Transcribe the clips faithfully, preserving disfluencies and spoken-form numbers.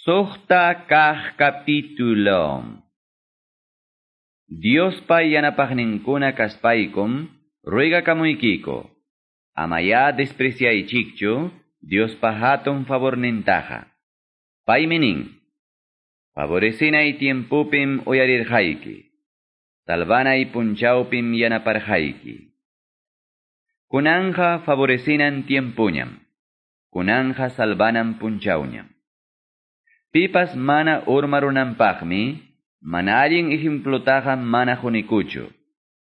Suqta kaq capítulo. Diospa yanapaqninkuna kaspaykum ruegakamuykiko. Amayá despreciaychikchu Diospa hatun favornintaqa. Paymi nin: Favorecinay tiempupim uyarirqayki. Salvanay punchawpim yanaparqayki. Kunanja favorecinan tiempuñam. Kunanja salvanan punchawñam. Pipas mana urmarunanpaqmi, mana allin ejemplotaqa mana qunikuchu.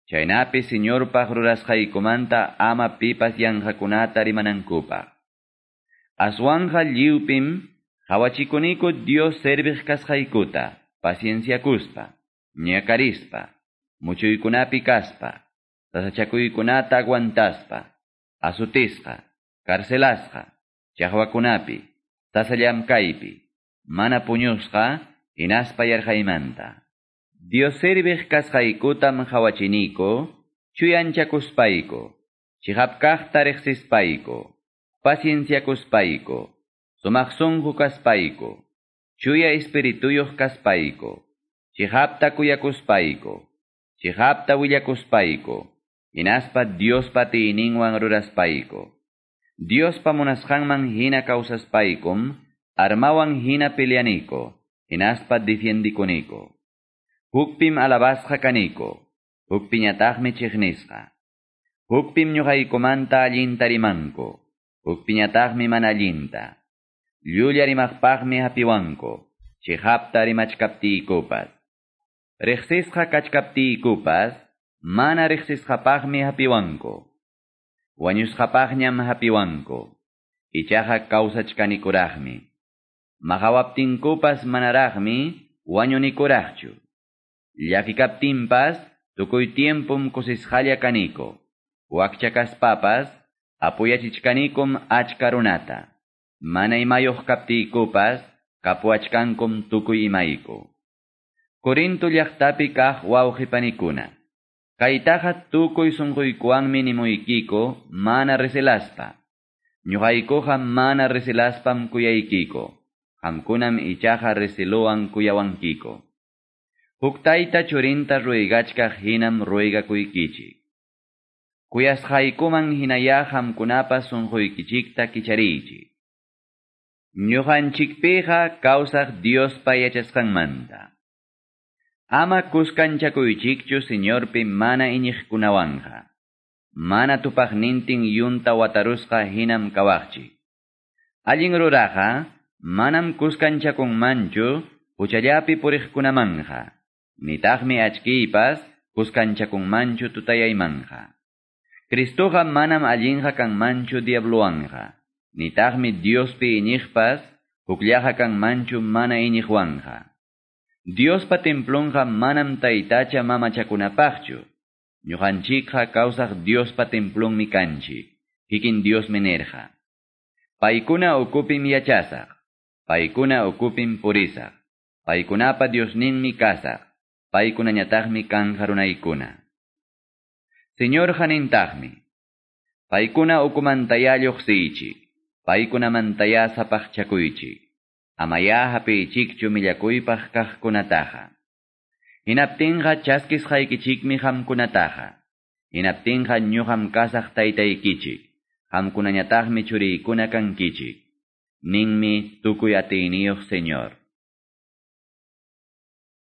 Chaynapi Señorpaq rurasqaykumanta ama pipas yanqakunata rimanankupaq. Aswanja lliwpim qhawachikuniku Dios serviq kasqaykuta, pacienciakuspa, ñakarispa, muchuykunapi kaspa, sasachakuykunata aguantaspa, azutisqa, carcelasqa, chaqwakunapi, sasa llamkaypi, mana puñusqa, hinaspa yarqaymanta. Dios serviq kasqaykutam qhawachiniko, chuyanchakuspayku, chiqap kaqta riqsispayku, pacienciakuspayku, sumaq sunqu kaspayku, chuya espirituyuq kaspayku, chiqapta kuyakuspayku, chiqapta willakuspayku, hinaspa Diospa atiyninwan ruraspayku. Diospa munasqanman hina kawsaspaykum, armawan hina peleaniko, hinaspa defiendikuniko. Hukpim alabasqa kaniko, hukpiñataqmi chiqnisqa. Hukpim ñuqaykumanta allinta rimanku, hukpiñataqmi mana allinta. Llulla rimaqpaqmi hapiwanku, chiqapta rimachkaptiykupas. Riqsisqa kachkaptiykupas, mana riqsisqapaqmi hapiwanku. Wañusqapaqñam hapiwanku, ichaqa kawsachkanikuraqmi. Maqawaptinkupas manaraqmi wañunikuraqchu. Llakikaptinpas tukuy tiempum kusisqalla kaniko. Wakcha kaspapas apoyachichkanikum achka runata. Mana imayuq kaptiykupas kapuachkankum tukuy imayku. Corinto llaqtapi kaq wawqipanikuna. Kaytaqa tukuy sunquykuwanmi nimuykiko mana recelaspa. Ñuqaykuqa mana recelaspam kuyaykiko. Qamkunam ichaqa recelowan kuyawankiko. Huk tayta churinta ruegachkaq hinam ruegakuykichik. Kuyasqaykuman hinayá qamkunapas sunquykichikta kichariychik. Ñuqanchikpiqa kawsaq Diospa yachasqanmanta. Ama kuskanchakuychikchu Señorpi mana iñiqkunawanja. Mana tupaqnintin yunta watarusqa hinam kawaqchik. Allin ruraqa manam kuskanchakunmanchu huchallapi puriqkunamanja. Nitaqmi achkiypas kuskanchakunmanchu tutayaymanja. Cristoqa manam allinqa kanmanchu diabluwanja. Nitaqmi Diospi iñiqpas hukllaqa kanmanchu mana iñiqwanja. Diospa templonqa manam taytacha mamachakunapaqchu. Ñuqanchikqa kawsaq Diospa templonmi kanchik. Kikin Diosmi nirqa. Paykuna ukupim yachasaq. Paykuna ukupim purisaq. Paykunapa Diosninmi kasaq. Paykunañataqmi kanja runaykuna. Señor nintaqmi. Paykuna ukumantayá lluqsiychik. Paykunamantayá sapaqchakuychik. Amayá hapiychikchu millakuypaq kaqkunataqa. Hinaptinqa chaskisqaykichikmi qamkunataqa. Hinaptinqa ñuqam kasaq taytaykichik. Qamkunañataqmi churiykuna kankichik. Ninmi tukuy atiyniyuq Señor.